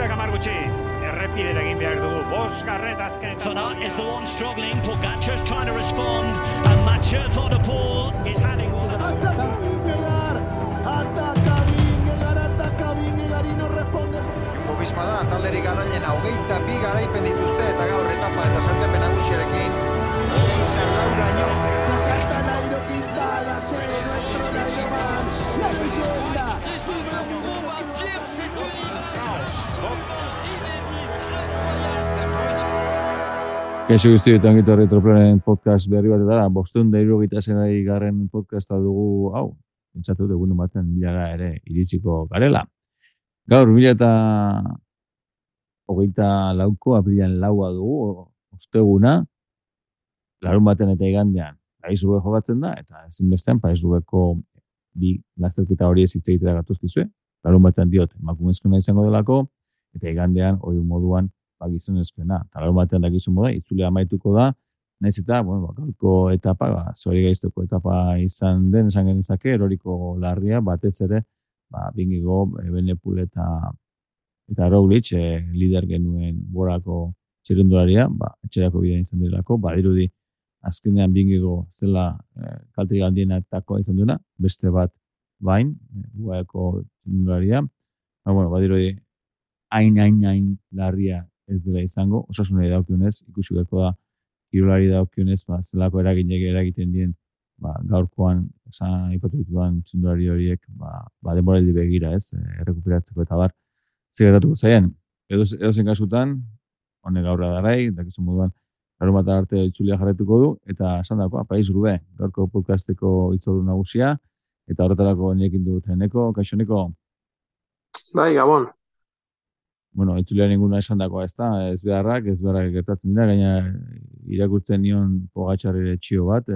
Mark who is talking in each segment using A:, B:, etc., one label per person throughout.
A: Irurak 10 gutxi. Errepidera egin behar dugu. 5. azkenetan.
B: Van Aert is the one struggling. Pogacar's trying to respond. And Mathieu Van der Poel is having one.
C: Ataca Vingegaard y no responde.
D: Jumbo Visma da, talderik garailena, 22 garaipen dituzte eta gaur etapa eta sailkapen nagusiarekin. Gauraino.
C: Nairo Quintana, la leyenda.
E: Kaixo guztietan gitarra Retroplanen podcast berri bat da, 576. podcasta dugu, hau, pentsatu dut egun batean milara ere iritsiko garela. Gaur 2024ko apirilaren 4 dugu, osteguna, larun batean eta igandean, Paris-Roubaix jokatzen da, eta ezinbestean Paris-Roubaixko bi lasterketa hori ez hitz egitera gatuzkizue, larun batean diot, emakumezkoena izango delako, eta igandean hori moduan gizonezkoena. Larun batean dakizun moda, itzulea amaituko da, nahiz eta, gaurko etapa, zori gaiztoko etapa izan den, esan genezake, eroriko larria, batez ere, Vingegaard, Evenepoel eta Roglic, lider genuen borako txirrindularia, etxerako bidea izan direlako, badirudi azkenean Vingegaard zela kalterik handienetakoa izan duena, beste bat bain, guaeko txirrindularia, badirudi hain larria ez dela izango, osasunari daukionez, ikusi beharko da, kirolari daukionez, zelako eragiten dien, gaurkoan, esan aipatu ditudan txindulari horiek, denboraldi begira ez, errekuperatzeko eta bar, zegertatuko zaien. Edozen kasutan, honek gaurra darai, dakizun moduan, larun bat arte itzulia jarretuko du, eta esan dagoa, Paris-Roubaix, gaurko podcasteko itzordu nagusia, eta horretarako nekin dut Eneko, kaixo Eneko?
F: Bai, Gabon.
E: Itzulea ninguna esan dagoa ez beharrak gertatzen dira, gaina irakurtzen nion Pogacarrire txio bat,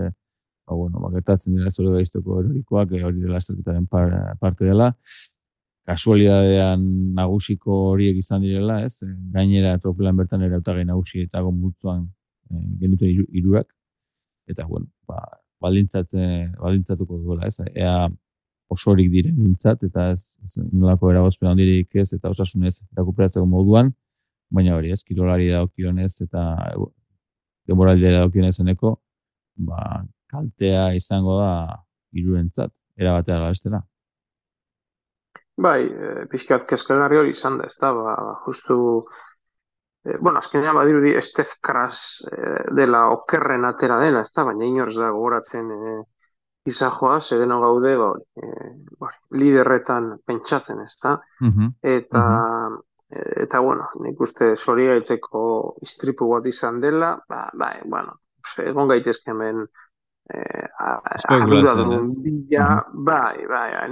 E: gertatzen dira zore gaiztoko erorikoak, hori dela lasterketaren parte dela, kasualidadean nagusiko horiek izan direla, ez? Gainera tropelan bertan ere hautagai nagusi eta multzoan genituen hirurak, eta baldintzatuko duela, ez? Ea osorik diren bintzat, eta ez nolako eragozpen handirik ez, eta osasunez rekuperatzeko moduan, baina hori ez, kirolari daukionez eta denboraldia daukionez Eneko, kaltea izango da hirurentzat, erabatea galestera.
F: Bai, pixkat kezkagarri hori izan da, ez da, justu, azkenean badirudi Stef Kras dela okerren atera dena, ez da, baina inorz da gogoratzen izajoa, zedeno gaude, liderretan pentsatzen, ez da? Eta, nik uste zorigaitzeko istripu bat izan dela, egon gaitezke hemen arduradun bila,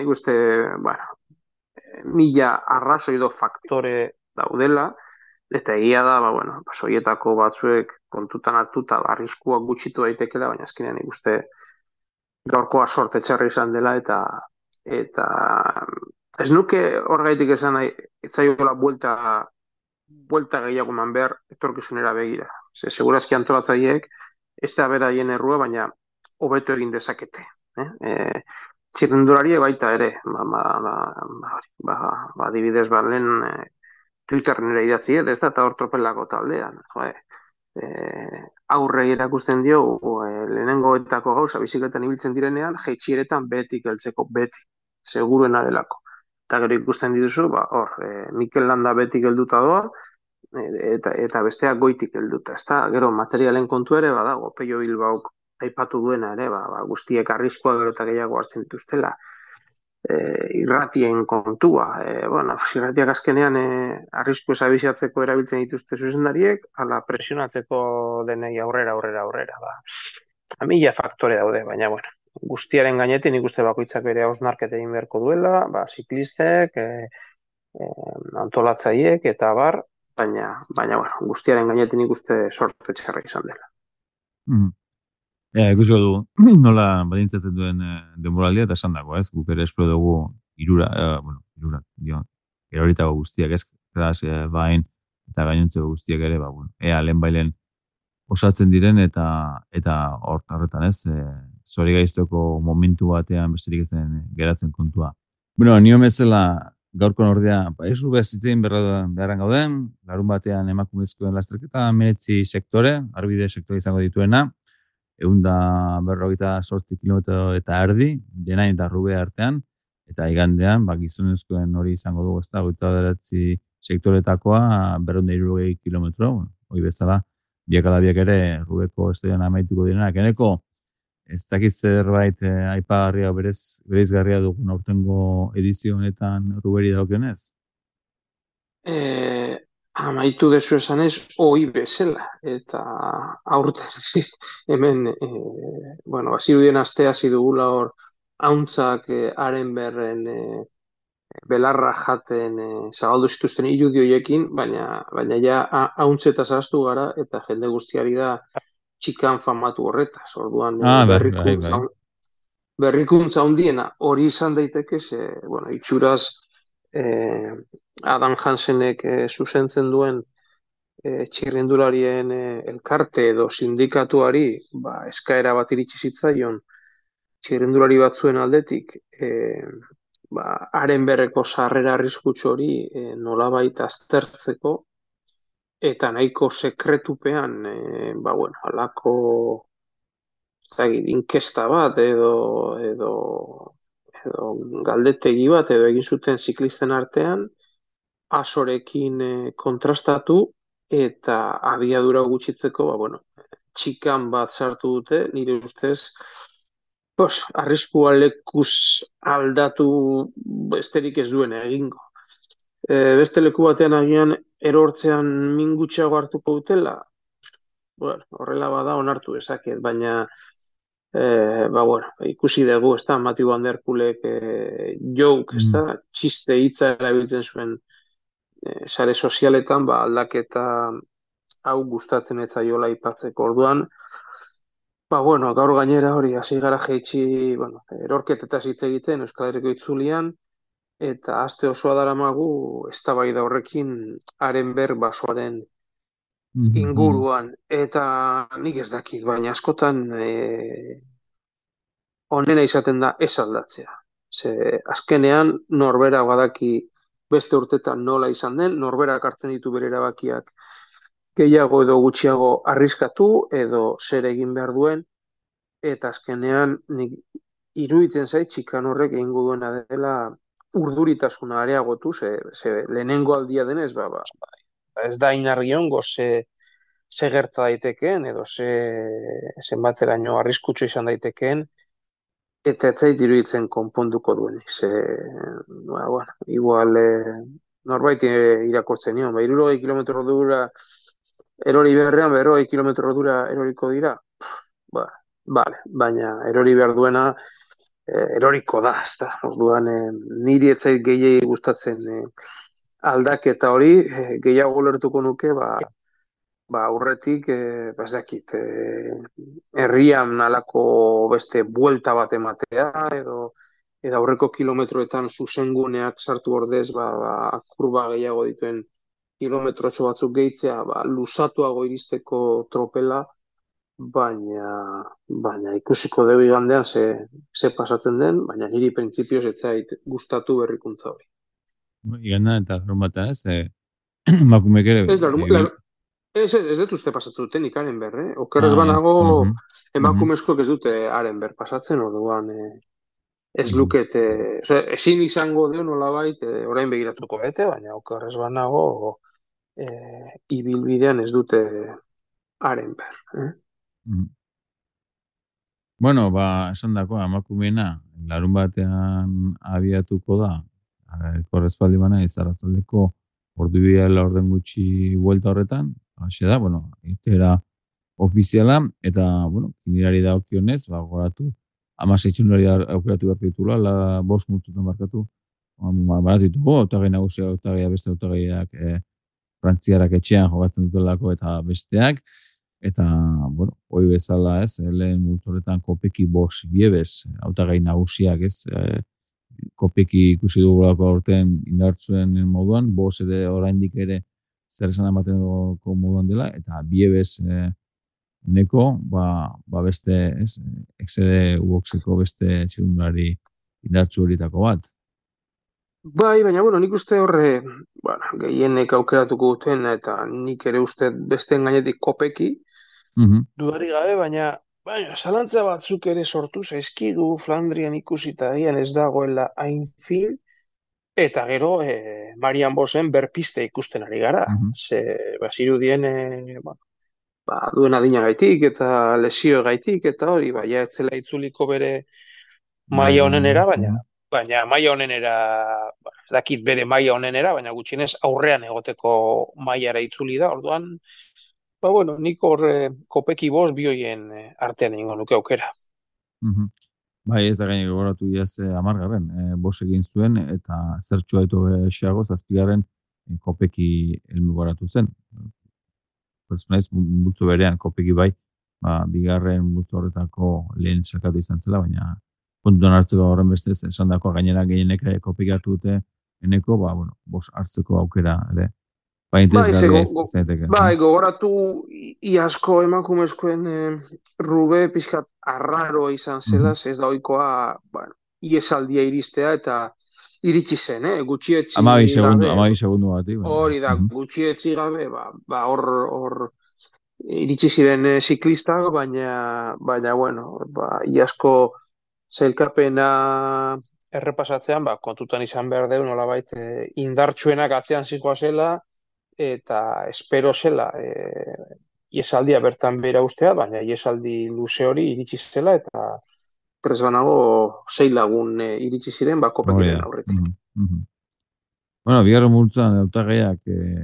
F: nik uste, mila arrazoi do faktore daudela, eta egia da, horietako batzuek kontutan hartuta arriskuak gutxitu daitekela, baina azkenean nik uste gaurkoa sorte txarra izan dela, eta ez nuke horgaitik esan nahi, etzaiola buelta gehiago eman behar etorkizunera begira. Segurazki antolatzaileek ez da beraien errua, baina hobeto egin dezakete. Txirrindularie baita ere, adibidez lehen Twitterren ere idatzi, ez da, eta hor tropelako taldean, aurre erakusten dio lehenengoetako gauza bizikletan ibiltzen direnean, jaitsieretan betik heltzeko, beti, seguruena delako. Eta gero ikusten dituzu, Mikel Landa betik helduta doa, eta besteak goitik helduta. Gero materialen kontu ere badago, Pello Bilbaok aipatu duena ere, guztiek arriskua gero eta gehiago hartzen dituztela. Irratien kontua. Irratiak azkenean arrisku esabizatzeko erabiltzen dituzte zuzendariek, ala presionatzeko denei aurrera. Mila faktore daude, baina guztiaren gainetik nik uste bakoitzak bere hausnarketa egin beharko duela, ziklistek, antolatzaileek eta bar, baina guztiaren gainetik nik uste sorte txarra izan dela.
E: Ikusiko du, nola badintzatzen duen denboraldia eta esan dago, ez? Guk ere espero dugu eroritako guztiak, ez? Kras, bain, eta gainontzeko guztiak ere, ea lehenbailen osatzen diren eta horretan, ez? Zori gaiztoko momentu batean besterik ezen geratzen kontua. Nio bezala gaurko ordea, ez rubez itzein beharran gauden, larun batean emakumezkoen lasterketa, 19 sektore, arbide sektore izango dituena, 158 kilometro eta erdi, denain eta rube artean, eta igandean, gizonezkoen hori izango dugu, ez da, 29 sektoretakoa, 260 kilometro, hori bezala, biak ala biak ere, rubeko estadion amaituko direnak, eneko, ez dakit zerbait aipagarria bereizgarria dugun aurtengo edizio honetan ruberi dagokionez?
F: Amaitu dezu esanez, ohi bezala, eta aurten hemen, bazirudien astea zidugula hor, hauntzak haren berren belarra jaten zabaldu zituzten irudioiekin, baina ja hauntzetaz ahaztu gara, eta jende guztiari da txikan famatu horretaz, orduan berrikuntza handiena hori izan daiteke, itxuraz Adam Hansenek zuzentzen duen txirrindularien elkarte edo sindikatuari eskaera bat iritsi zitzaion txirrindulari batzuen aldetik haren berreko sarrera arriskutsu hori nolabait aztertzeko eta nahiko sekretupean halako inkesta bat edo galdetegi bat edo egin zuten ziklisten artean asorekin kontrastatu eta abiadura gutxitzeko txikan bat sartu dute, nire ustez arriskua lekuz aldatu besterik ez duen egingo. Beste leku batean agian erortzean min gutxiago hartuko dutela, horrela bada onartu ezaket, baina ikusi dugu, ez da, Matthew Van Der Poelek joke, ez da, txiste hitza erabiltzen zuen sare sozialetan, aldaketa hau gustatzen ez zaiola aipatzeko orduan, gaur gainera hori, hasi gara jaitsi, erorketetaz hitz egiten Euskal Herriko itzulian, eta aste osoa daramagu eztabaida horrekin haren basoaren inguruan, eta nik ez dakit, baina askotan onena izaten da ez aldatzea. Azkenean norbera badaki beste urtetan nola izan den, norberak hartzen ditu bere erabakiak gehiago edo gutxiago arriskatu edo zer egin behar duen, eta azkenean nik iruditzen zait txikan horrek egingo duena dela urduritasuna areagotu, ze lehenengo aldia denez, ez da inargi ongo ze gerta daitekeen edo zenbateraino arriskutsu izan daitekeen, eta ez zait iruditzen konponduko duenik. Igual norbait irakurtzen nion, 60 kilometro ordura erori beharrean, 40 kilometro ordura eroriko dira, baina erori behar duena eroriko da, ez da. Orduan niri ez zait gehiegi gustatzen aldaketa hori, gehiago lertuko nuke, aurretik, ez dakit, herrian alako beste buelta bat ematea, edo aurreko kilometroetan zuzenguneak sartu ordez, kurba gehiago dituen kilometrotxo batzuk gehitzea, luzatuago iristeko tropela, baina ikusiko dugu igandean ze pasatzen den, baina niri printzipioz ez zait gustatu berrikuntza hori.
E: Iganda eta gromata makumek ere...
F: Ez dut uste pasatzen duten ikaren berre. Okerrez banago emakumezkoek ez dute haren ber pasatzen, orduan ez lukete, ezin izango dio nolabait orain begiratuko bete, baina okerrez banago ibilbidean ez dute haren ber.
E: Bueno, esan dako, emakumeena, larun batean abiatuko da, korrezpaldi bana, izarratzaldeko ordu bidea orden gutxi buelta horretan, hasi da, irtera ofiziala, eta, kinirari da okionez, goratu, 16 txundari aukeratu behar ditula, 5 multutan markatu, baratu ditugu, autagai nagusia, beste autagaiak, frantziarak etxean jogatzen dutelako eta besteak, eta, hoi bezala, lehen multu horretan kopeki 5 biebez, autagai nagusiak, kopeki ikusi dugulako aurten indartzuen moduan, 5 ere oraindik ere zer esan emateneko moduan dela, eta biebez eneko, beste, exede uboxeko beste txirundulari indartzu horietako bat.
F: Bai, baina, bueno, nik uste horre, bueno, gehienek aukeratuko duten, eta nik ere uste besteen gainetik kopeki,
E: Mhm,
F: dudari gabe, baina, zalantza batzuk ere sortu zaizkigu Flandrian ikusita agian ez dagoela hain fin, eta gero, Marian Bosen berpiste ikusten ari gara.
E: mhm.
F: Ze, bazirudien, duen adinagaitik eta lesio gaitik, eta hori, ja, ez zela itzuliko bere
E: Bai,
F: maila
E: bai, bai.
F: onenera, baina,
E: Mhm,
F: baina maila onenera, ez dakit bere maila onenera, baina gutxienez aurrean egoteko mailara itzuli da, orduan, bueno, nik hor kopeki bost bioien artean egingo nuke aukera.
E: mhm. Bai, ez da gaine gogoratu iaz amargarren, bos egin zuen, eta zertxoa eto esiago, zazpigarren kopeki helmugoratu zen. Pertsonaiz, multzo berean, kopeki bai, bigarren multzo horretako lehen sakatu izan zela, baina kontuan hartzeko horren bestez, esan dako gainera gehienek kopeki hartu dute, eneko, bueno, bos hartzeko aukera, ere,
F: Bai, ze,
E: interesgarria zaiteke.
F: bai, gogoratu iazko emakumezkoen rube pixkat arraroa izan zela,
E: Mhm.
F: ze ez da ohikoa, bueno, iesaldia iristea eta iritsi zen, gutxietzi gabe,
E: 12 segundo batik, baina.
F: hori da, gutxietzi gabe, hor iritsi ziren ziklistak, baina bueno, iazko sailkapena errepasatzean, kontutan izan behar deu, nolabait, indartsuenak atzean zela, eta espero zela iesaldia bertan bera ustea, baina iesaldi luze hori iritsi zela, eta tres banago 6 lagun iritsi ziren,
E: Hori
F: kopekiren
E: da.
F: aurretik.
E: Bueno, bigarren multzoan hautagaiak,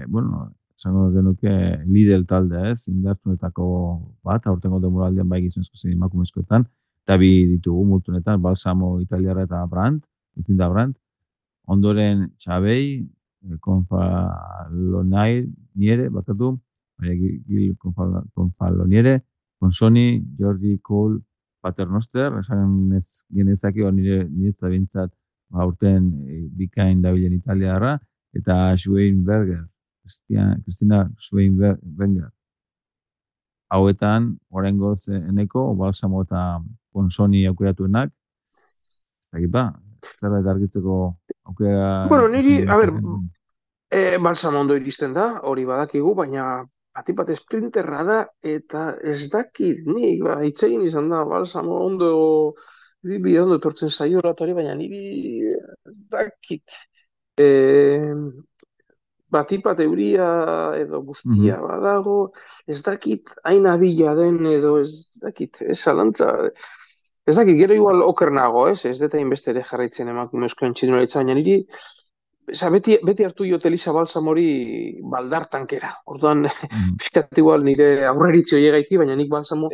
E: bueno, esango genuke Lidl taldea, ez, indartsuenetako bat, aurtengo denboraldian bai gizonezko zein emakumezkoetan, eta bi ditugu multzonetan, Balsamo Italiara eta Brandt, Lucinda Brandt, ondoren Txabei, Confaloniere, bakatu, Gil Confaloniere, Consoni, Jordi Cole, Paternoster, esan ez genezaki, nire zabintzat aurten bikain dabilen italiarra, eta Schweinberger, Kristina Schweinberger. Hauetan, oraingoz eneko, Balsamo eta Consoni aukeratuenak, ez dakit zerbait argitzeko aukera
F: Bueno, niri, a ber,
E: izan.
F: Balsamo ondo iristen da, hori badakigu, baina atipat esprinterra da, eta ez dakit, nik, itzegin izan da, Balsamo ondo, bi ondo etortzen zaio hori, baina niri ez dakit. Batipat euria edo guztia badago, ez dakit hain abila den edo ez dakit, ez zalantza, ez dakit, gero igual oker nago, ez dut hainbeste ere jarraitzen emakumezkoen txirinoletza, baina niri, beti hartu diote Elisa Balsamori baldartankera, orduan, pixkat igual nire aurreritzi hori gaiti, baina nik Balsamo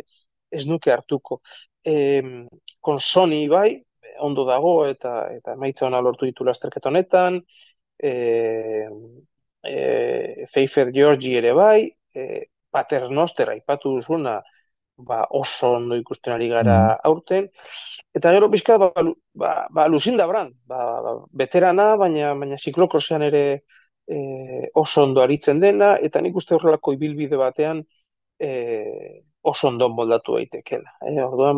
F: ez nuke hartuko. Consoni bai, ondo dago, eta emaitza ona lortu ditu lasterketa honetan, Pfeiffer Georgi ere bai, Paternoster aipatu duzuna, oso ondo ikusten ari gara aurten, eta gero pixka, Lucinda Brandt, veterana, baina ziklokrosean ere oso ondo aritzen dena, eta nik uste horrelako ibilbide batean oso ondo moldatu daitekela. Orduan,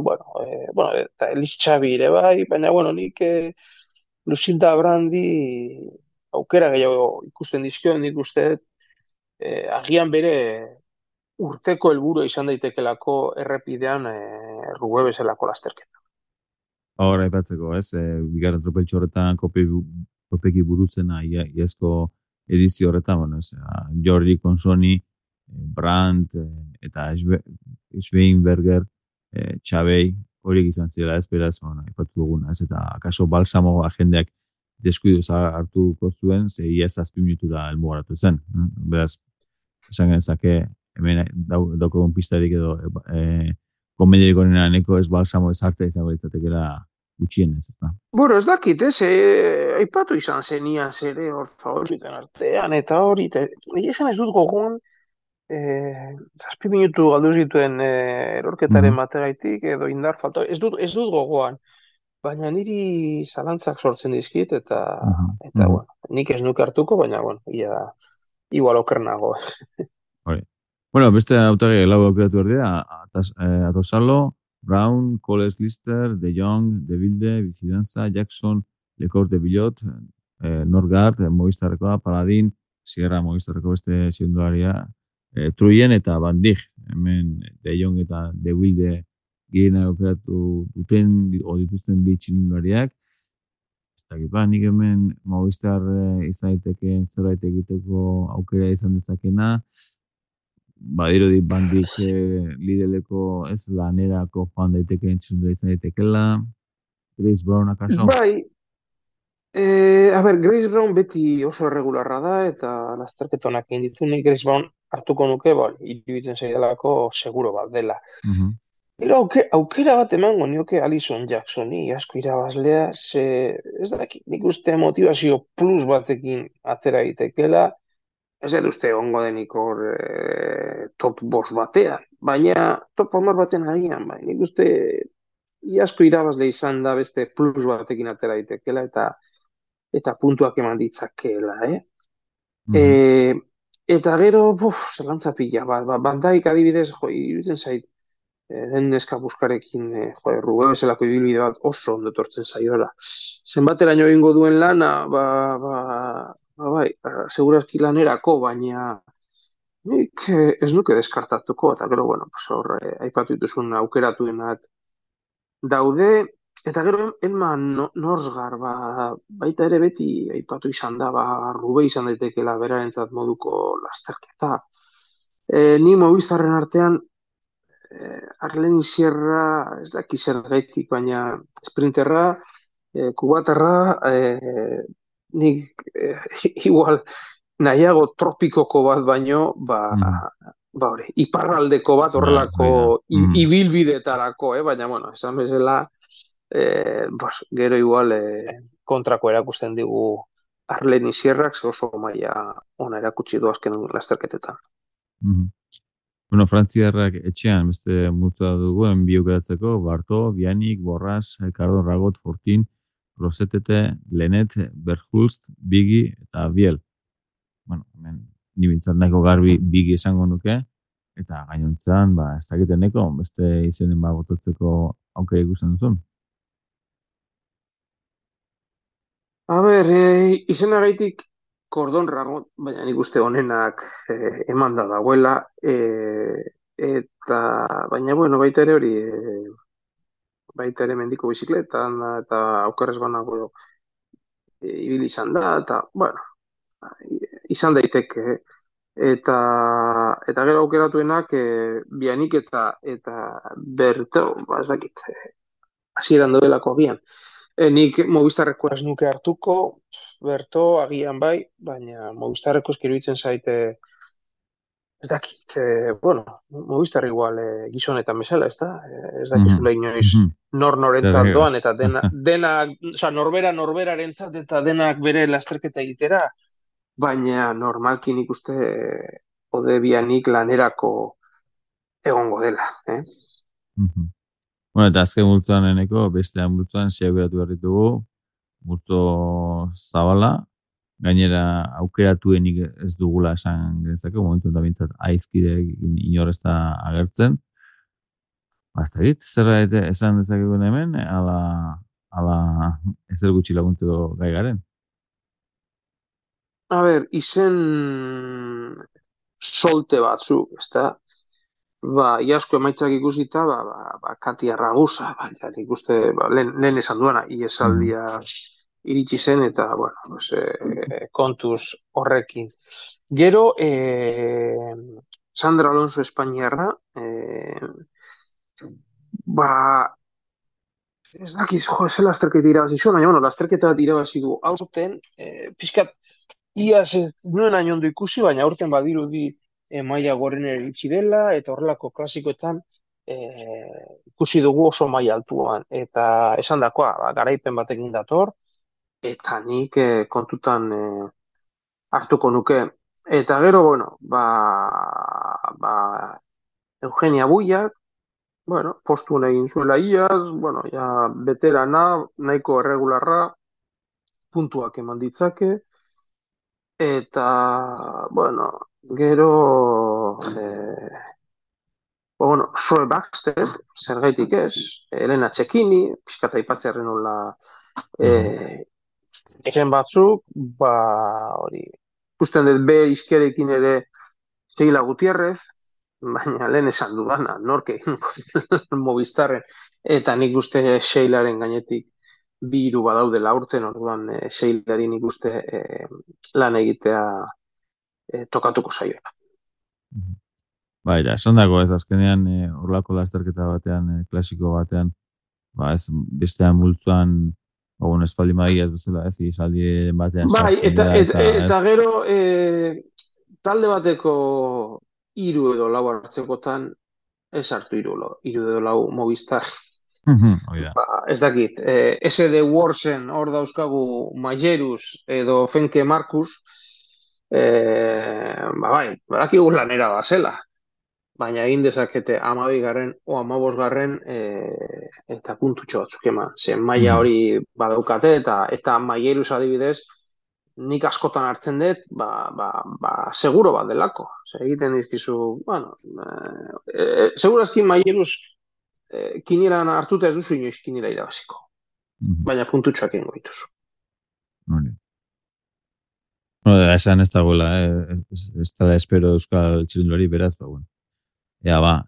F: eta Elis Xabi ere bai, baina, nik Lucinda Brandi aukera gehiago ikusten dizkio, nik uste agian bere urteko helburu izan daitekelako errepidean Rube bezalako lasterketa.
E: Hora aipatzeko, ez, bigarren tropeltxo horretan kopeki burutzena iazko edizio horretan, bueno, ez, Jordi Consoni, Brandt eta Schweinberger, Txabei, horiek izan zirela, ez, beraz, bueno, aipatu duguna, ez, eta akaso Balsamo agendeak deskuiduz hartuko zuen, ze iaz 7 minutura helmugaratu zen. Beraz, esan genezake, hemen daukagun pistarik edo komediarik onena neko ez Balsamo ez hartzea izango ditzatekela gutxienez, ez da?
F: Bueno, ez dakit, aipatu izan zenian zere hor favoriten artean, eta hori, esan ez dut gogoan, 7 minutu galdu dituen erorketaren bategaitik, edo indar falta, ez dut gogoan, baina niri zalantzak sortzen dizkit, eta bueno, nik ez nuke hartuko, baina, igual oker nago.
E: Hori. Bueno, beste hautagi lau aukeratu erdea, Atosalo, Brown, Coles Lister, De Jong, De Wilde, Bicidanza, Jackson, Lecor de Billot, Norgard, Movistarrekoa, Paladin, Sierra Movistarreko beste txirrindularia, Truyen eta Van Dijk, hemen De Jong eta De Wilde gehien aukeratu duten, dituzten bi txirrindulariak. Ez dakit, nik hemen Movistar izan daiteke zerbait egiteko aukera izan dezakena, badirudi Van Dijk Lideleko ez lanerako joan daitekeen txirrindularia izan daitekela, Grace Brown akaso?
F: Bai, Grace Brown beti oso erregularra da, eta lasterketa onak egin ditu, nik Grace Brown hartuko nuke, iruditzen zaidalako seguro bat dela. Pero aukera bat emango nioke Alison Jacksoni, asko irabazlea, ez dakit, nik uste motivazio plus batekin atera egitekeela, ez dut uste ongo denik hor top boss batean, baina top 10 baten agian, nik uste asko irabazle izan da beste plus batekin atera egitekeela, eta puntuak eman ditzakela, Eta gero, zelantza pila, Van Dijk adibidez, iruditzen zait, den neska buskarekin, Rube bezalako ibilbide bat oso ondo etortzen zaiola. Zenbateraino egingo duen lana, segurazki lanerako, baina nik ez nuke deskartatuko, eta gero, aipatu dituzun aukeratuenak daude, eta gero Elma Norsgaard, baita ere beti aipatu izan da, Rube izan daitekela berarentzat moduko lasterketa. Ni Movistarren artean Arleni Sierra, ez daki zergaitik, baina sprinterra, kubatarra, nik igual nahiago tropikoko bat baino, iparraldeko bat horrelako ibilbidetarako, baina, esan bezala, gero igual kontrako erakusten digu Arleni Sierrak, oso maila ona erakutsi du azken lasterketetan.
E: Frantziarrak etxean beste multa duguen bi aukeratzeko, Barto, Bianik, Borras, Ricardo Ragot, Fortin, Rosetete, Lenet, Berghulst, Bigi eta Biel. Hemen nibintzat nahiko garbi Bigi esango nuke, eta gainontzean, ez dakiteneko, beste izenen botatzeko aukera ikusten duzun.
F: Izenagaitik Kordon Ragot, baina nik uste honenak eman da dagoela, eta baina baita ere hori, baita ere mendiko bizikletan, eta aukerrez banago ibili izan da, eta izan daiteke, eta gero aukeratuenak Bianik eta Berto, ez dakit, hasieran doelako agian. Nik Movistarreko ez nuke hartuko, Berto agian bai, baina Movistarreko eskiruditzen zaite, ez dakit, Movistar igual gizonetan bezala, ez da? Ez dakizula inoiz norentzat doan, eta norberarentzat eta denak bere lasterketa egitera, baina normalki nik uste Ode Bianik lanerako egongo dela,
E: Eta azken multzoan eneko, bestean multzoan aukeratu behar ditugu, multzo zabala, gainera aukeratuenik ez dugula esan genezake, momentu eta bintzat aizkide inorrez da agertzen. Ez dakit, zerbait esan dezakegu hemen, ala ezer gutxi laguntzeko gai garen.
F: Izen solte batzuk, ez da? Iasko emaitzak ikusita, Katia Ragusa, nik uste, lehen esan duena, iesaldia iritsi zen, eta, kontuz horrekin. Gero, Sandra Alonso Espainiarra, ez dakiz, ez lasterketa irabazi zuen, baina, lasterketa irabazi du aurten, pixkat, iaz ez nuen hain ondo ikusi, baina aurten badirudi maila gorena iritsi dela, eta horrelako klasikoetan ikusi dugu oso maila altuan. Eta esan dakoa, garaipen batekin dator, eta nik kontutan hartuko nuke. Eta gero, Eugenia Buiak, postuen egin zuela iaz, veterana, nahiko erregularra, puntuak eman ditzake, eta, gero, Zoe Baxter, zergaitik ez, Elena Txekini, pixkata aipatzearen nola Ezen batzuk, hori, ikusten dut B izkerekin ere Sheila Gutierrez, baina lehen esan dudana, nork egingo duen Movistarren, eta nik uste Sheilaren gainetik bi hiru badaudela urten, orduan Sheilari nik uste lan egitea tokatuko zaiola.
E: Bai, da, esan dago ez azkenean horlako lasterketa batean, klasiko batean, ez bestean multzuan, espaldi maia ez bezala, ez izaldi batean
F: Bai,
E: sartzen
F: eta,
E: dira,
F: eta, eta gero talde bateko hiru edo lau hartzekotan ez hartu hiru edo lau Movistar.
E: Hori da.
F: Ez dakit, SD Worsen hor dauzkagu Majerus edo Fenke Markus, bai, badakigu lanera bazela, baina egin dezakete 12garren o 15garren eta puntutxo batzuk eman. Zen maila hori badaukate eta Majerus adibidez, nik askotan hartzen dut, seguro bat delako. Egiten dizkizu, bueno, segurazki Majerus kinieran hartuta ez duzu inoiz kiniera irabaziko. Baina puntutxoak egingo dituzu.
E: Esan ez dagoela, ez da espero euskal txirindulari beraz, bueno.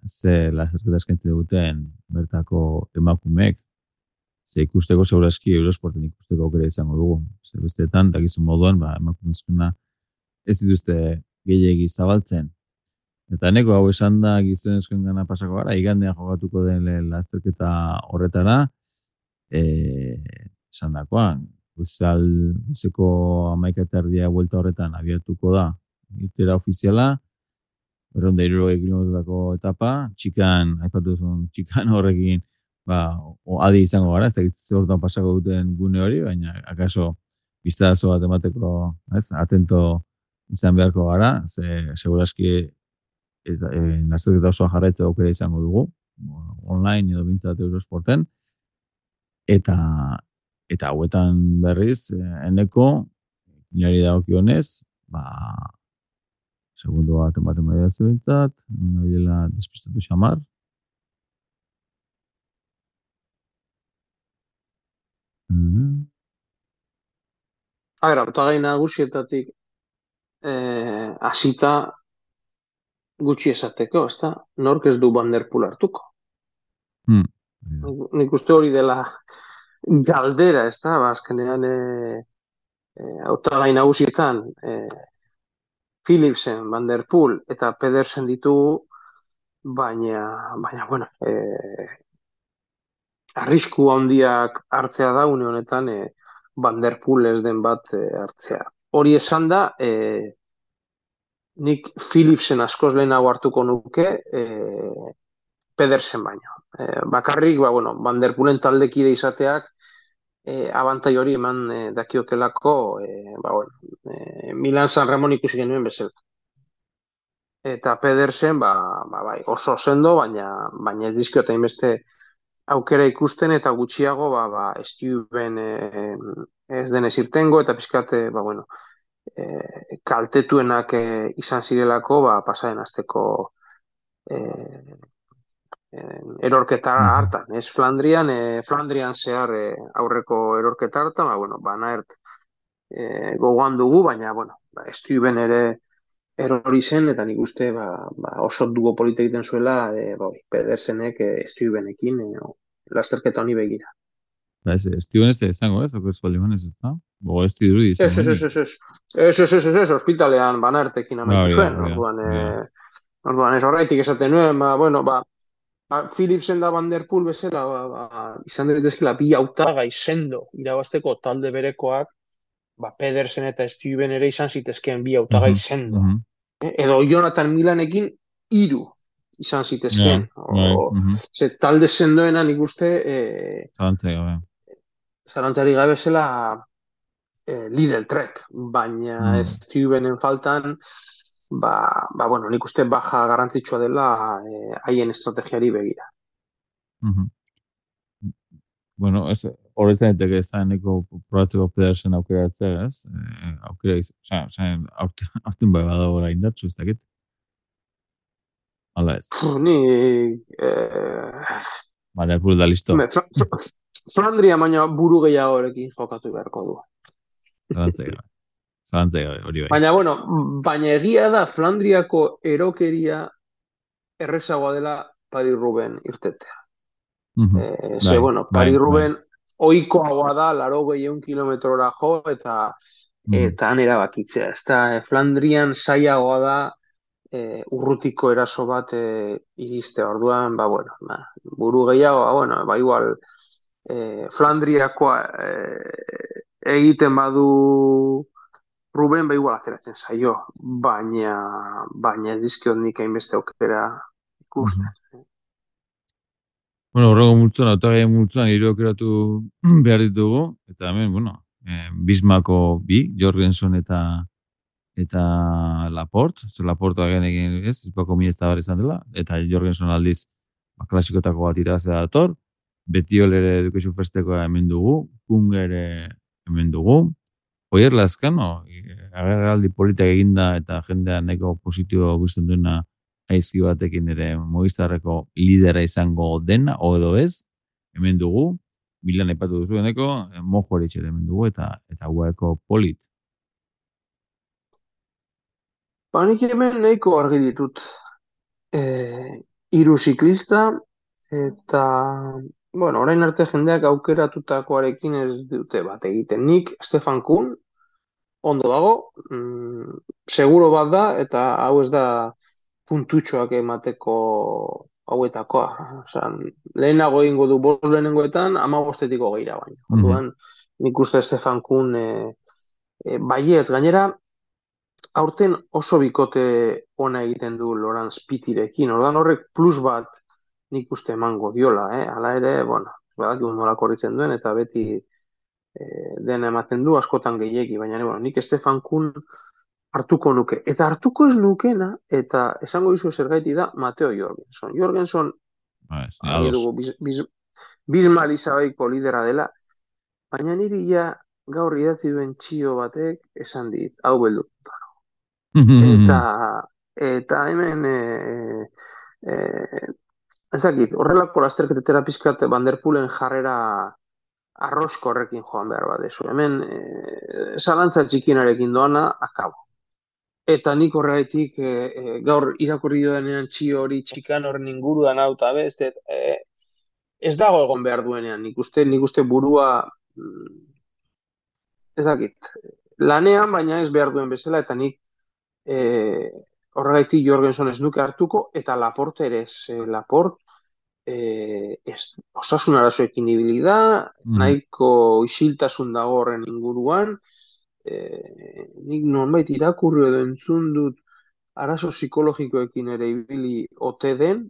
E: Ze lasterketa eskaintzen duten bertako emakumeek, ze ikusteko segurazki Eurosporten ikusteko aukera izango dugu. Ze besteetan, dakizun moduan, emakumezkoena ez dituzte gehiegi zabaltzen. Eta neko hau esan da gizonezkoen gana pasako gara, igandean jogatuko den lasterketa horretara, esan dakoan, guzeko 11:30 buelta horretan abiatuko da, irtera ofiziala, 260 kilometrotako etapa, aipatu duzun txikan horrekin, adi izango gara, ez da gitze horretan pasako duten gune hori, baina akaso biztazo bat emateko, atento izan beharko gara, ze segurazki lasterketa osoa jarraitza aukera izango dugu, online edo bintzat Eurosporten, eta hauetan berriz, eneko, inari dagokionez, segundo bat ematen badia zuentzat, nahiela despistatu xamar.
F: Hautagai nagusietatik hasita gutxi esateko, ezta? Nork ez du Van der Poel hartuko. Nik uste hori dela galdera, ezta? Azkenean hautagai nagusietan Philipsen, Van der Poel eta Pedersen ditugu, baina bueno, arrisku handiak hartzea da une honetan Van der Poel ez den bat hartzea. Hori esan da, nik Philipsen askoz lehenago hartuko nuke Pedersen baino. Bakarrik, Van der Poelen taldekide izateak abantai hori eman dakiokelako, Milan San Ramon ikusi genuen bezala. Eta Pedersen, bai, oso sendo, baina ez dizkiota inbeste aukera ikusten eta gutxiago, Stuyven ez denez irtengo, eta pizkate, kaltetuenak izan zirelako, pasaren azteko erorketa hartan, ez Flandrian zehar aurreko erorketa hartan, Van Aert gogoan dugu, baina, Stuyven ere erori zen, eta nik uste oso dugo polita egiten zuela Pedersenek Stuyvenekin lasterketa honi begira.
E: Stuyven ez da izango, ez? Oko espaldimanez, ez da? Bogo ez dirudi izango.
F: Ez, ospitalean Van Aertekin amaitu zuen. Orduan ez horreitik esaten nuen, Philipsen da Van der Poel bezala, izan daitezkela bi hautagai sendo irabazteko talde berekoak, Pedersen eta Stuyven ere izan zitezkeen bi hautagai sendo. Edo Jonathan Milanekin 3 izan zitezkeen. Talde sendoena nik uste zarantzari gabe zela Lidl Trek, baina Stuyvenen faltan nik uste baja garrantzitsua dela haien estrategiari begira.
E: Horretzen eteke ez da eneko probatzeko Pedersen aukeratzea, ez? Aukera izan, aurten bai badago gara indartzu, ez dakit? Hala ez.
F: Ni...
E: Van der Poel da listo.
F: Flandria baina buru gehiagorekin jokatu beharko du.
E: Zalantzai gabe, hori bai.
F: Baina, bueno, baina egia da Flandriako erokeria errezagoa dela Paris-Roubaix irtetea. Ze,
E: Bai,
F: bueno,
E: bai, bai.
F: Paris-Roubaix ohikoagoa da, 80 kilometrora jo, eta han erabakitzea. Ez da, Flandrian saiagoa da urrutiko eraso bat iriste. Orduan, ba, bueno, buru gehiago, ba, bueno, ba, igual, Flandriakoa egiten badu Ruben, ba, igual ateratzen zaio, baina ez dizkiot nik hainbeste aukera ikusten.
E: Bueno, horrego multzuan, autagai multzuan hiru behar ditugu, eta hemen, bueno, Bismako Jorgenson eta Laporte, Laporte agen egin ez, izpako mi ez da bar izan dela, eta Jorgenson aldiz klasikotako bat irabazea dator, Betiol ere Education Festekoa hemen dugu, Kung ere hemen dugu, Oier Lazkano, agerraldi politak eginda eta jendea nahiko positibo guztien duena aizki batekin ere Movistarreko lidera izango dena, edo ez, hemen dugu, Milan aipatu duzueneko, Mojoritz ere hemen dugu, eta UAEko Polit.
F: Ba, nik hemen nahiko argi ditut. Hiru ziklista, eta, bueno, orain arte jendeak aukeratutakoarekin ez dute bat egiten. Nik, Stefan Kuhn, ondo dago, seguro bat da, eta hau ez da puntutxoak emateko hauetakoa. Osa, lehenago egingo du 5 lehenengoetan, 15-etiko gehiago baino. Orduan, nik uste Stefan Kuhn baiet, gainera, aurten oso bikote ona egiten du Laurens Pitirekin. Orduan horrek plus bat nik uste emango diola. Hala ere, bueno, badakigu nola korritzen duen, eta beti dena ematen du askotan gehiegi, baina bueno, nik Stefan Kuhn hartuko nuke. Eta hartuko ez nukena, eta esango dizu zergaiti da, Mateo Jorgenson. Jorgenson, dugu, Bismarck Izabaiko lidera dela, baina niri ja gaur idatzi duen txio batek esan dit, hau beldurtuta. Eta hemen ezakit, horrelako lasterketetera pizkat Van der Poelen jarrera arrosko horrekin joan behar badezu. Hemen zalantza txikinarekin doana akabo. Eta nik horregatik gaur irakurri duenean txio hori txikan horren inguruan hau eta ez dago egon behar duenean. Nik uste burua ezakit, lanean baina ez behar duen bezala, eta nik horregatik Jorgenson ez nuke hartuko, eta Laporte ere ez. Laporte osasun arazoekin ibili da, nahiko isiltasun dago horren inguruan, nik nonbait irakurri edo entzun dut arazo psikologikoekin ere ibili ote den,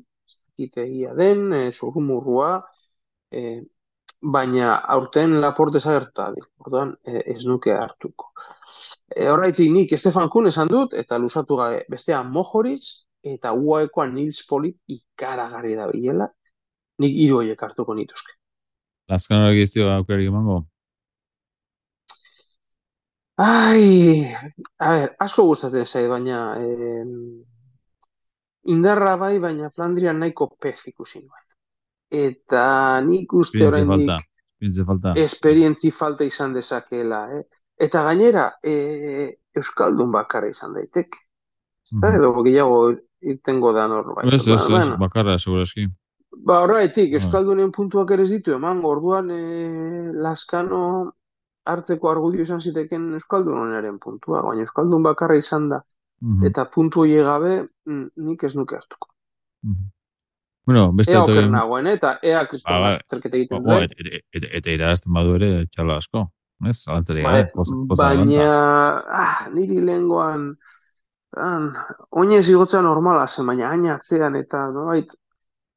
F: egia den, zurrumurrua, baina aurten Laporte zagertu da, orduan ez nuke hartuko. Horregatik nik Stefan Kuhn esan dut, eta luzatu gabe bestea Mojoritz, eta UAEkoa Nils Polit ikaragarri da bilela, nik 3 horiek hartuko nituzke.
E: Lazkanoak izio aukerik emango?
F: Ai, a ber, asko gustatzen zait, baina indarra bai, baina Flandrian nahiko pez ikusi nuen. Eta nik uste oraindik esperientzi falta izan dezakeela, Eta gainera, Euskaldun bakarra izan daitek. Eta edo gehiago irtengo da norbait.
E: Ez, bakarra, segurazki.
F: Ba, horregatik, Euskaldunen puntuak ere ez ditu emango, orduan Lazkano hartzeko argudio izan ziteken Euskaldunaren puntua, baina Euskaldun bakarra izan da, eta puntu hori gabe nik ez nuke hartuko.
E: Bueno, beste
F: ea oker nagoen, eta ea kriston lasterketa egiten duen.
E: Eta irazten badu ere txalo asko.
F: Baina niri lehengoan oinez igotzea normala zen, baina hain atzean eta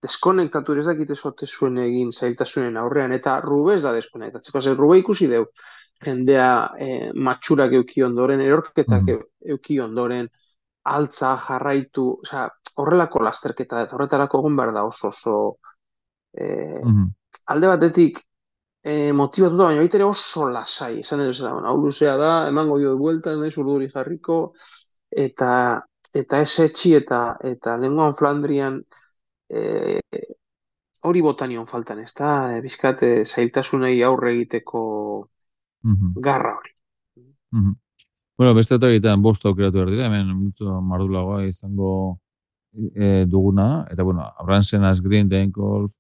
F: deskonektatu ez dakite zote zuen egin zailtasunen aurrean, eta Rube ez da deskonektatzeko. Rube ikusi deu jendea matxurak euki ondoren, erorketak euki ondoren, altza jarraitu, horrelako lasterketa, eta horretarako egon behar da oso alde batetik motibatuta, baina baita ere oso lasai, esan edo zela, hau luzea da, emango dio buelta, nahiz urduri jarriko, eta ez etxi, eta lenguan Flandrian hori botanion faltan, ez da, bizkat zailtasunei aurre egiteko garra hori.
E: Mhm. Bueno, beste eta egitean bost aukeratu behar dira, hemen multzo mardulagoa izango duguna, eta bueno, Abransen, Asgreen, Denkol,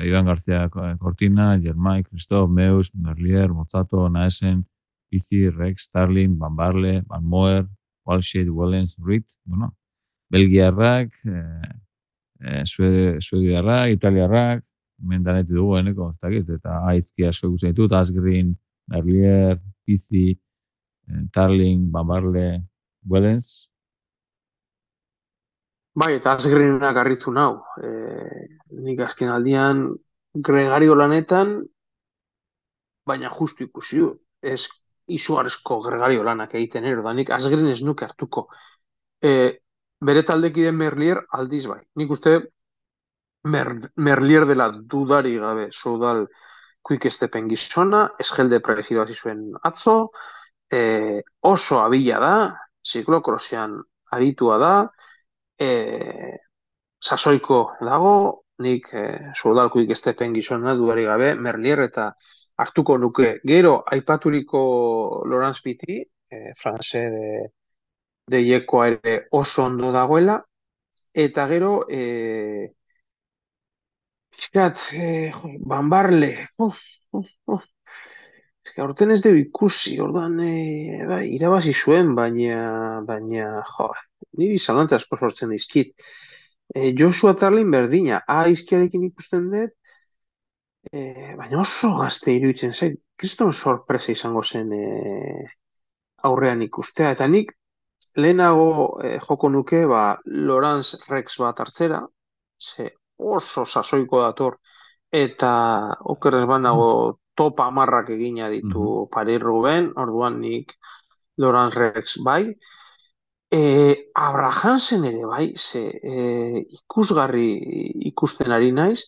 E: Iban García Cortina, Germay, Christoph, Meus, Merlier, Mozzato, Naesen, Pizzi, Rex, Starling, Van Barle, Van Moer, Walshed, Wellens, Reed, bueno, Belgiarrak, Suediarrak, Italiarrak, mendanetu dugu, eneko, eta aizki asko ikusten ditut, Asgreen, Merlier, Pizzi, Tarling, Van Barle, Wellens.
F: Bai, eta Asgreenak harritu nau. Nik azken aldian gregario lanetan, baina justu ikusi du. Ez izugarrizko gregario lanak egiten ero, da nik Asgreen ez nuke hartuko. Bere taldekiden Merlier aldiz bai. Nik uste Merlier dela dudari gabe Soudal quick stepen gizona, esgelde prefido hasi zuen atzo, oso abila da, ziklokrosean aritua da, sasoiko dago, nik Soudal quick stepen gizona dudari gabe, Merlier eta hartuko nuke. Gero, aipaturiko Laurence Piti, franse de Iekoa ere oso ondo dagoela, eta gero, pixkat, Van Barle, aurten ez dugu ikusi, orduan, bai, irabazi zuen, baina, jo, niri zalantza asko sortzen dizkit. Joshua Tarlin berdina, izkiarekin ikusten dut, baina oso gazte iruditzen zait, kriston sorpresa izango zen aurrean ikustea, eta nik lehenago joko nuke, Laurence Rex bat hartzera, ze oso sasoiko dator, eta okerrez banago topa amarrak egina ditu Paris Ruben, orduan nik Laurence Rex bai. Abrahamsen ere bai, ze ikusgarri ikusten ari naiz,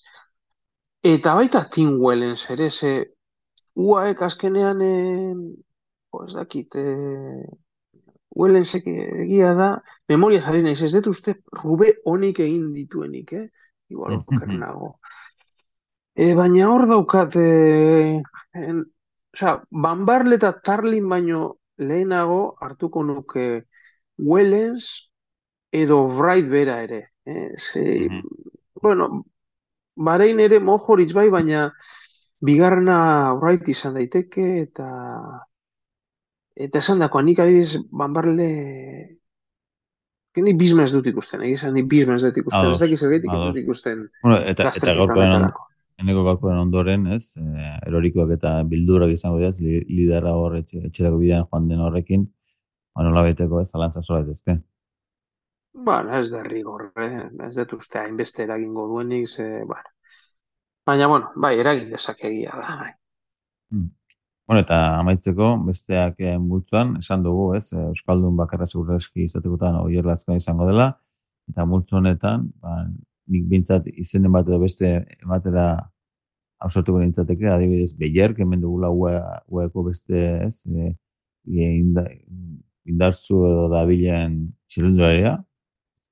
F: eta baita Tim Wellens ere, ze UAek azkenean, ez dakit, Wellensek egia da, memoria jarri naiz, ez dut uste Rube honik egin dituenik, igual okernago. Baina hor daukat, Van Barle eta Tarlin baino lehenago hartuko nuke Wellens edo Wright bera ere. Bueno, Bahrein ere Mojoritz bai, baina bigarrena Wright izan daiteke, eta esan dakoa, nik adibidez Van Barle ni bizma ez dut ikusten, ni bizma ez dut ikusten, ez dakiz ergaitik ez dut ikusten.
E: Bueno, eta eneko gaurkoen ondoren, ez, erorikoak eta bildurak izango dira, lidera hor etxerako bidean joan den horrekin, nola beteko ez, zalantza sola ezke.
F: Bueno, ez da rigor, ez dut uste hainbeste eragingo duenik, baina, bueno, bai, eragin dezakegia da, bai.
E: Bueno, eta amaitzeko, besteak multzoan, esan dugu, ez, Euskaldun bakarra segurreski izatekotan Oier Lazkao izango dela, eta multzo honetan, nik bintzat izenen bat edo beste ematera ausartuko nintzateke, adibidez, Beyer, hemen dugula UEko beste, ez, indartzu edo dabilen txilunduraria,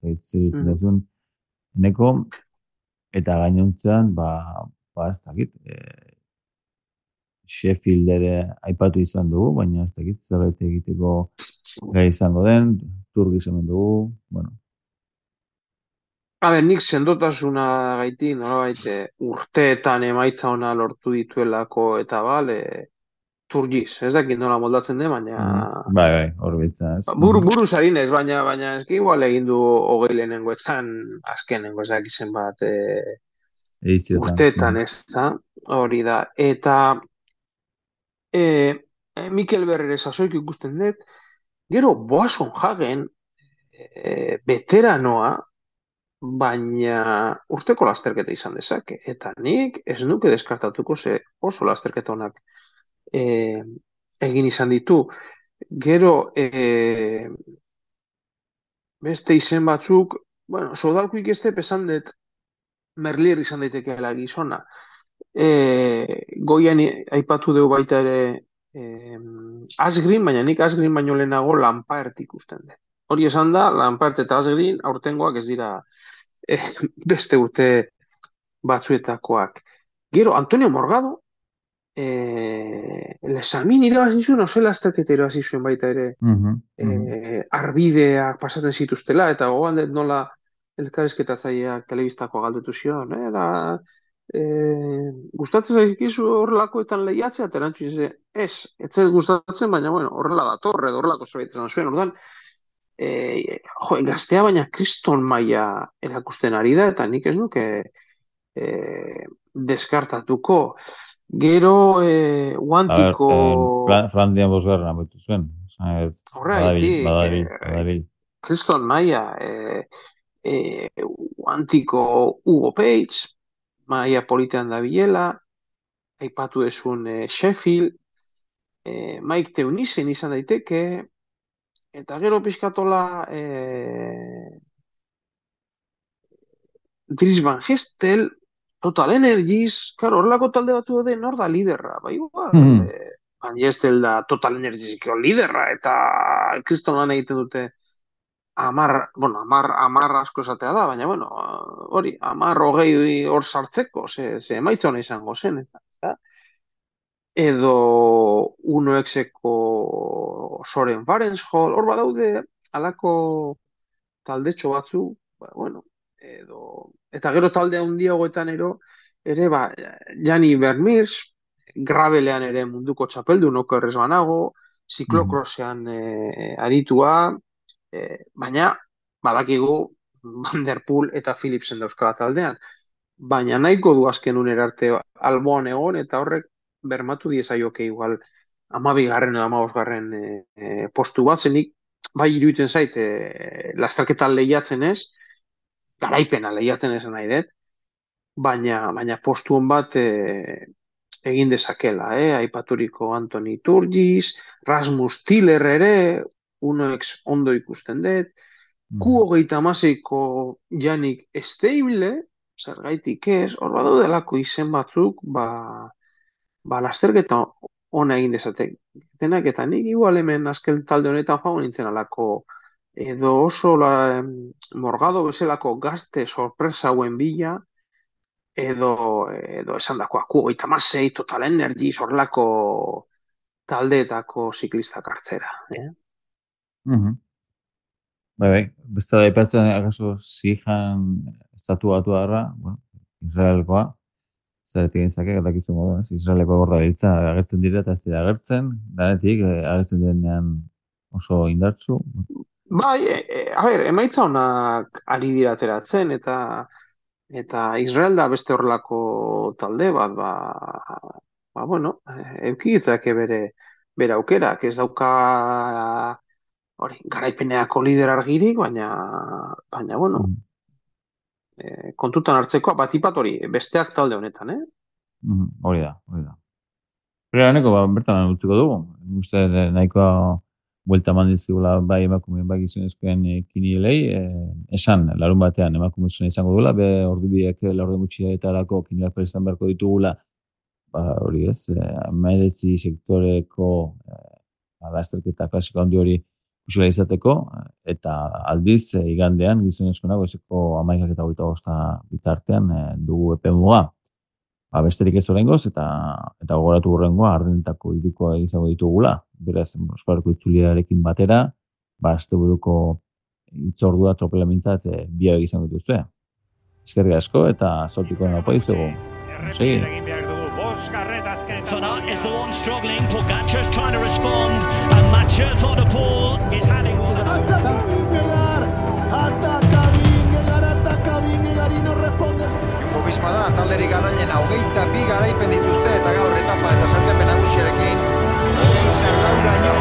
E: zirutzen duzun, eneko, eta gainontzean, ez dakit, Sheffield ere aipatu izan dugu, baina ez dakit zerbait egiteko gai izango den, Turgis hemen dugu, bueno.
F: Nik sendotasuna gaitik, nolabait urteetan emaitza ona lortu dituelako eta Turgis, ez dakit nola moldatzen den, baina...
E: Bai, hor bitza, ez.
F: Buru zarinez, baina eski igual egin du 20 lehenengoetan, azkenengo ez dakizen bat urteetan, ez da, hori da, eta... Mikel Berrere sasoik ikusten dut, gero Boasson Hagen veteranoa, baina urteko lasterketa izan dezake, eta nik ez nuke deskartatuko ze oso lasterketa honak egin izan ditu. Gero beste izen batzuk, bueno, Soudal quick step esan dut Merlier izan daitekeela gizona. Goian aipatu dugu baita ere Asgreen, baina nik Asgreen baino lehenago Lampard ikusten dut. Hori esan da, Lampard eta Asgreen aurtengoak ez dira beste urte batzuetakoak. Gero, Antonio Morgado, Lesamin irabazi zuen, oso lasterketa irabazi zuen baita ere, arbideak pasatzen zituztela, eta gogoan dut nola elkarrizketatzaileak telebistakoa galdetu zion, da, gustatzen zaizkizu horrelakoetan lehiatzea, eta erantzun ez zait gustatzen, baina bueno, horrela dator, edo horrelako zerbait esan zuen, orduan, gaztea baina kriston maila erakusten ari da, eta nik ez nuke deskartatuko. Gero guantiko...
E: Frandian bosgarren abetu zuen. Badabil.
F: Kriston maila, guantiko Hugo Page, maila politean da bilela, aipatu esun Sheffield, Mike Teunissen izan daiteke, eta gero pixkatola Dries Van Gestel, Total Energies, claro, horrelako talde batzu daude nor da liderra, bai igual, Van Gestel da Total Energiesiko liderra, eta kriston lan egiten dute amar asko esatea da, baina bueno, hori, 10-20 hor sartzeko, ze emaitza hona izango zen, eta edo 1xeko Soren Varenshol, hor badaude alako taldetxo batzu, bueno, eta gero talde handiagoetan ere, Jani Vermeers, gravelean ere munduko txapeldun okerrez banago, ziklokrosean aritua, baina badakigu Van der Poel eta Philipsen dauzkala taldean, baina nahiko du azken unera arte alboan egon, eta horrek bermatu diezaioke igual 12. edo 15. Postu bat, zenik bai iruditzen zait lasterketan lehiatzen ez, garaipena lehiatzen esan nahi dut, baina postu hon bat egin dezakela, aipaturiko Anthony Turgis, Rasmus Tiller ere, 1x ondo ikusten dut, Q26ko Yannick Steible, zergaitik ez, hor badaudelako izen batzuk, lasterketa ona egin dezatek. Denak eta nik igual hemen azken talde honetan joan nintzen alako edo oso Morgado bezalako gazte sorpresa hauen bila, edo esan dakoa Q26, Total Energies, horrelako taldeetako ziklistak hartzera.
E: Bai, beste da ipatzen, akaso zijan estatu batu harra, Israelkoa, zaretik egin dakizun modu, Israeleko gorda biltza agertzen dira eta ez dira agertzen, danetik agertzen denean oso indartzu.
F: Bai, emaitza honak ari dira ateratzen, eta Israel da beste horrelako talde bat, bueno, eukigitzake bere aukerak, ez dauka garaipeneako lider argirik, baina bueno, kontutan hartzeko batipat hori, besteak talde honetan,
E: Hori da. Pero haneko, bertan utziko dugu. Uste nahikoa buelta mandizkigula bai emakumeen bai gizonezkoen kinielei, esan, larun batean emakumezuna izango dugula, ordubiek laurde gutxietarako kinielak prestan beharko ditugula, hori ez, 19 sektoreko lasterketa klasiko handi hori usila izateko, eta aldiz igandean gizonezkoena goizeko 11 eta 25 bitartean dugu epe muga. Besterik ez horrengoz, eta gogoratu horrengoa ardenetako irukoa izango ditugula. Beraz, Euskalarko itzuliarekin batera, asteburuko itzordua tropelamintzat biak izango dituzue. Eskerrik asko eta zortiko napo dizugu.
B: Van Aert is the one struggling. Pogačar's trying to respond, and Mathieu van der Poel is handing over.
C: Ataca Vingegaard y no responde.
D: Jumbo-Visma da, talderik garrailena 22 garaipen dituzte, eta gaur etapa eta sailkapen nagusiarekin, 20 zergauraino.